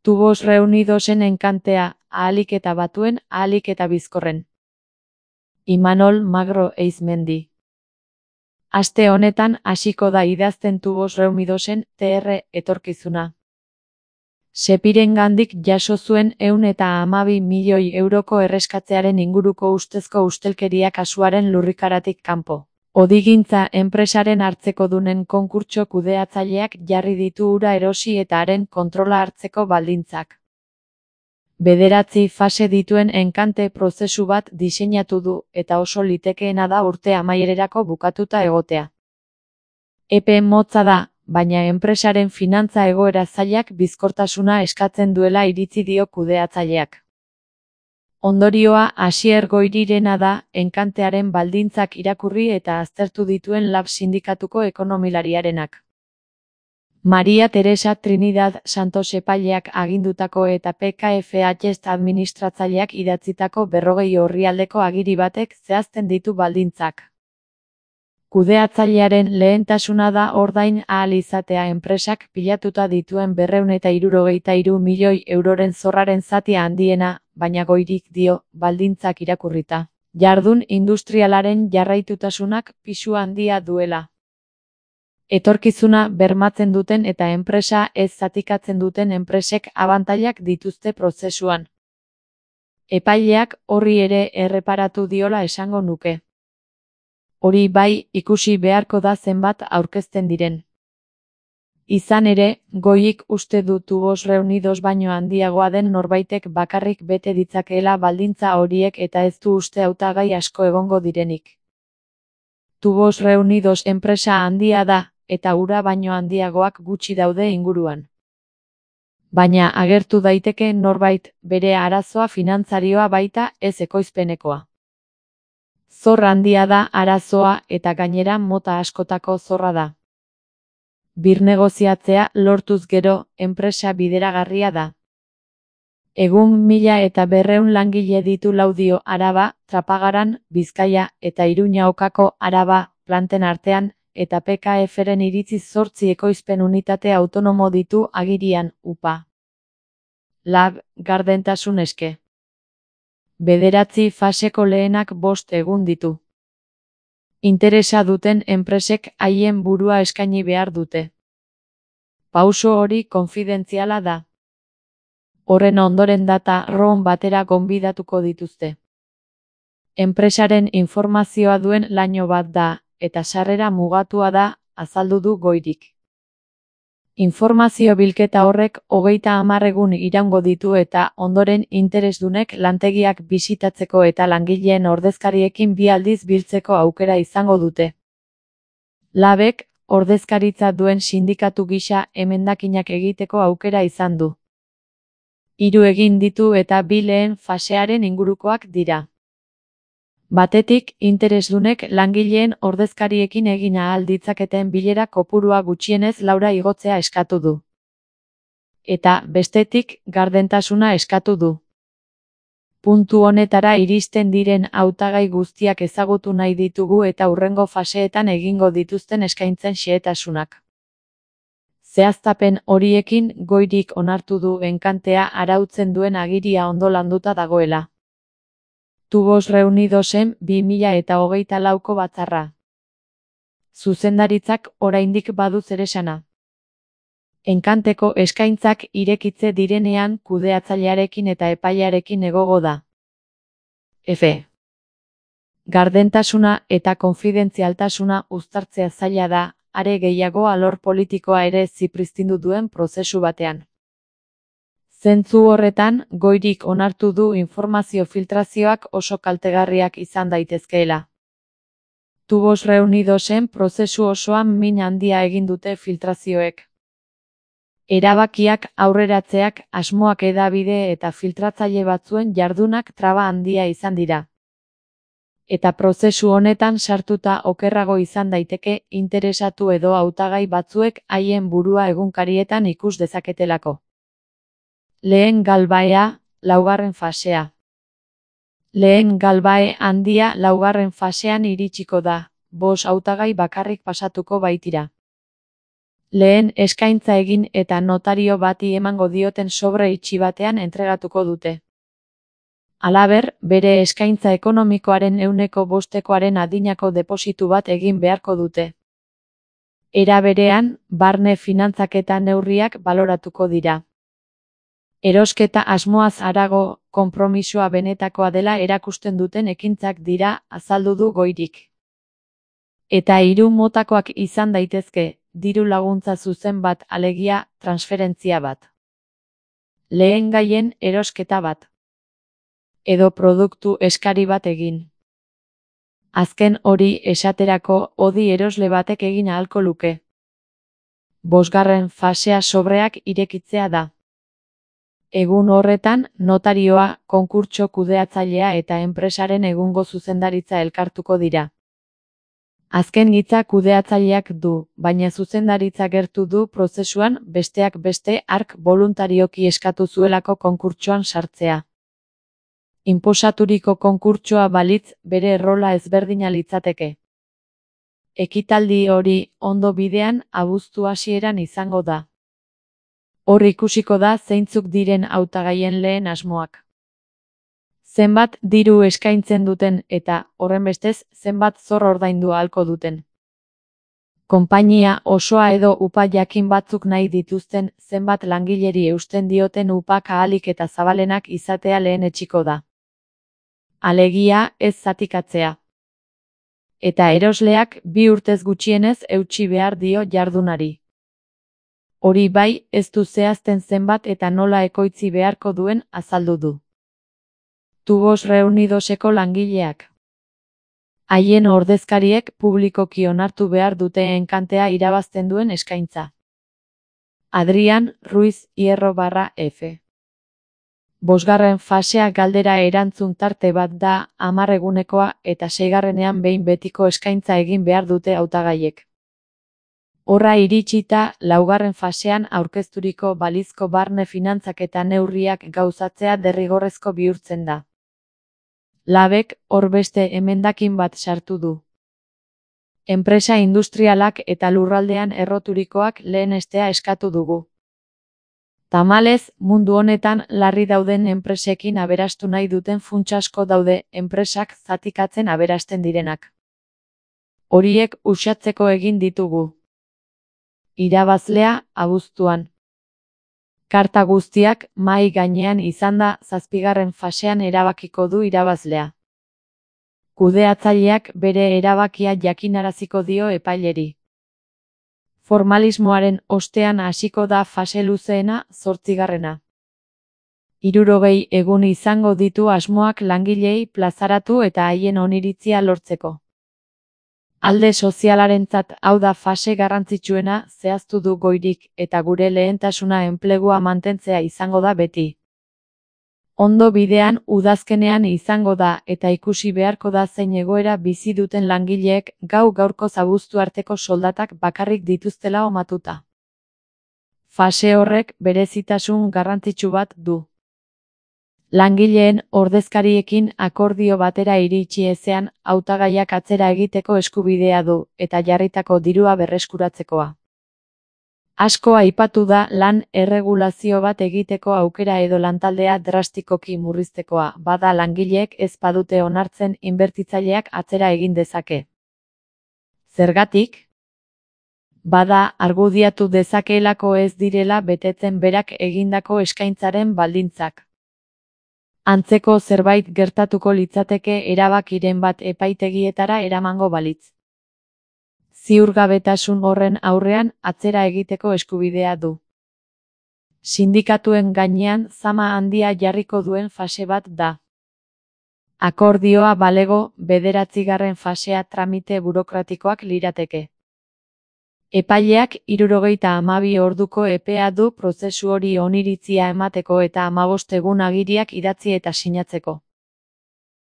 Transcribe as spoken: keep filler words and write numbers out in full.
Tubos Reunidosen enkantea, ahalik eta batuen, ahalik eta bizkorren. Imanol Magro Eizmendi. Aste honetan hasiko da idazten Tubos Reunidosen T R etorkizuna. Sepirengandik jaso zuen ehun eta hamabi milioi euroko erreskatzearen inguruko ustezko ustelkeria kasuaren lurrikaratik kanpo. Odigintza enpresaren hartzekodunen konkurtso kudeatzaileak jarri ditu ura erosi eta haren kontrola hartzeko baldintzak. Bederatzi fase dituen enkante prozesu bat diseinatu du eta oso litekeena da urte amaiererako bukatuta egotea. Epe motza da, baina enpresaren finantza egoera zailak bizkortasuna eskatzen duela iritzi dio kudeatzaileak. Ondorioa Asier Goirirena da, enkantearen baldintzak irakurri eta aztertu dituen Lab sindikatuko ekonomilariarenak. Maria Teresa Trinidad Santos epaileak agindutako eta P K F H administratzaileak idatzitako berrogei orrialdeko agiri batek zehazten ditu baldintzak. Kudeatzailearen lehentasuna da ordain ahal izatea enpresak pilatuta dituen berrehun eta hirurogeita hiru milioi euroren zorraren zatia handiena, baina Goirik dio, baldintzak irakurrita. Jardun industrialaren jarraitutasunak pisu handia duela. Etorkizuna bermatzen duten eta enpresa ez zatikatzen duten enpresek abantailak dituzte prozesuan. Epaileak horri ere erreparatu diola esango nuke. Hori bai, ikusi beharko da zenbat aurkezten diren. Izan ere, Goik uste du Tubos Reunidos baino handiagoa den norbaitek bakarrik bete ditzakeela baldintza horiek eta ez du uste hautagai asko egongo direnik. Tubos Reunidos enpresa handia da, eta ura baino handiagoak gutxi daude inguruan. Baina agertu daiteke norbait, bere arazoa finantzarioa baita, ez ekoizpenekoa. Zor handia da arazoa eta gainera mota askotako zorra da. Birnegoziatzea lortuz gero, enpresa bideragarria da. Egun mila eta berreun langile ditu Laudio Araba, Trapagaran, Bizkaia eta Iruñaokako Araba planten artean, eta P K F-ren iritziz zortzi ekoizpen unitate autonomo ditu agirian, upa. Lab, gardentasun eske. Bederatzi faseko lehenak bost egun ditu. Interesa duten enpresek haien burua eskaini behar dute. Pauso hori konfidentziala da. Horren ondoren data room batera gonbidatuko dituzte. Enpresaren informazioa duen laino bat da, eta sarrera mugatua da, azaldu du Goirik. Informazio bilketa horrek hogeita hamar egun iraungo ditu eta ondoren interesdunek lantegiak bisitatzeko eta langileen ordezkariekin bi aldiz biltzeko aukera izango dute. Labek, ordezkaritza duen sindikatu gisa emendakinak egiteko aukera izan du. Hiru egin ditu eta bi lehen fasearen ingurukoak dira. Batetik, interesdunek langileen ordezkariekin egin ahal ditzaketen bilera kopurua gutxienez laura igotzea eskatu du. Eta, bestetik, gardentasuna eskatu du. Puntu honetara iristen diren hautagai guztiak ezagutu nahi ditugu eta hurrengo faseetan egingo dituzten eskaintzen xehetasunak. Zehaztapen horiekin Goirik onartu du enkantea arautzen duen agiria ondo landuta dagoela. Tubos Reunidosen bi mila eta hogeita lauko batzarra. Zuzendaritzak oraindik badu zeresana. Enkanteko eskaintzak irekitze direnean kudeatzailearekin eta epailearekin egogo da. F. Gardentasuna eta konfidentzialtasuna uztartzea zaila da, are gehiago alor politikoa ere zipriztindu duen prozesu batean. Zentzu horretan, Goirik onartu du informazio filtrazioak oso kaltegarriak izan daitezkeela. Tubos Reunidosen prozesu osoan min handia egin dute filtrazioek. Erabakiak aurreratzeak, asmoak hedabide eta filtratzaile batzuen jardunak traba handia izan dira. Eta prozesu honetan sartuta okerrago izan daiteke interesatu edo hautagai batzuek haien burua egunkarietan ikus dezaketelako. Lehen galbaea, laugarren fasea. Lehen galbae handia laugarren fasean iritsiko da, bost hautagai bakarrik pasatuko baitira. Lehen eskaintza egin eta notario bati emango dioten sobre itxi batean entregatuko dute. Halaber, bere eskaintza ekonomikoaren ehuneko bostekoaren adinako depositu bat egin beharko dute. Era berean, barne finantzaketa neurriak baloratuko dira. Erosketa asmoaz harago, konpromisoa benetakoa dela erakusten duten ekintzak dira, azaldu du Goirik. Eta hiru motakoak izan daitezke, diru laguntza zuzen bat alegia, transferentzia bat. Lehengaien erosketa bat. Edo produktu eskari bat egin. Azken hori esaterako odi erosle batek egin ahalko luke. Bosgarren fasea sobreak irekitzea da. Egun horretan, notarioa, konkurtso kudeatzailea eta enpresaren egungo zuzendaritza elkartuko dira. Azken hitza kudeatzaileak du, baina zuzendaritza gertu du prozesuan besteak beste hark boluntarioki eskatu zuelako konkurtsoan sartzea. Inposaturiko konkurtsoa balitz bere errola ezberdina litzateke. Ekitaldi hori ondo bidean abuztu hasieran izango da. Hor ikusiko da zeintzuk diren hautagaien lehen asmoak. Zenbat diru eskaintzen duten eta, horrenbestez, zenbat zor ordaindu ahalko duten. Konpainia osoa edo upa jakin batzuk nahi dituzten zenbat langileri eusten dioten upak ahalik eta zabalenak izatea lehenetsiko da. Alegia, ez zatikatzea. Eta erosleak bi urtez gutxienez eutsi behar dio jardunari. Hori bai, ez du zehazten zenbat eta nola ekoitzi beharko duen azaldu du. Tubos Reunidoseko langileak. Haien ordezkariek publikoki onartu behar dute enkantea irabazten duen eskaintza. Adrian Ruiz Hierro barra F. Bosgarren fasea galdera erantzun tarte bat da, hamar egunekoa eta seigarrenean behin betiko eskaintza egin behar dute hautagaiek. Horra iritsita, laugarren fasean aurkezturiko balizko barne finantzak eta neurriak gauzatzea derrigorrezko bihurtzen da. Labek hor beste emendakin bat sartu du. Enpresa industrialak eta lurraldean erroturikoak lehenestea eskatu dugu. Tamalez, mundu honetan larri dauden enpresekin aberastu nahi duten funts asko daude enpresak zatikatzen aberasten direnak. Horiek uxatzeko egin ditugu. Irabazlea, abuztuan. Karta guztiak mahai gainean izanda zazpigarren fasean erabakiko du irabazlea. Kudeatzaileak bere erabakia jakinaraziko dio epaileri. Formalismoaren ostean hasiko da fase luzeena, zortzigarrena. Hirurogei egun izango ditu asmoak langilei plazaratu eta haien oniritzia lortzeko. Alde sozialarentzat hau da fase garrantzitsuena zehaztu du Goirik eta gure lehentasuna enplegua mantentzea izango da beti. Ondo bidean udazkenean izango da eta ikusi beharko da zein egoera bizi duten langileek gau gaurko abuztu arteko soldatak bakarrik dituztela omatuta. Fase horrek berezitasun garrantzitsu bat du. Langileen ordezkariekin akordio batera iritsi ezean hautagaiak atzera egiteko eskubidea du eta jarritako dirua berreskuratzekoa. Asko aipatu da lan erregulazio bat egiteko aukera edo lantaldea drastikoki murriztekoa, bada langileek ez badute onartzen inbertitzaileak atzera egin dezake. Zergatik? Bada argudiatu dezakeelako ez direla betetzen berak egindako eskaintzaren baldintzak. Antzeko zerbait gertatuko litzateke erabakiren bat epaitegietara eramango balitz. Ziurgabetasun horren aurrean atzera egiteko eskubidea du. Sindikatuen gainean zama handia jarriko duen fase bat da. Akordioa balego, bederatzigarren fasea tramite burokratikoak lirateke. Epaileak hirurogeita hamabi orduko epea du prozesu hori oniritzia emateko eta hamabost egun agiriak idatzi eta sinatzeko.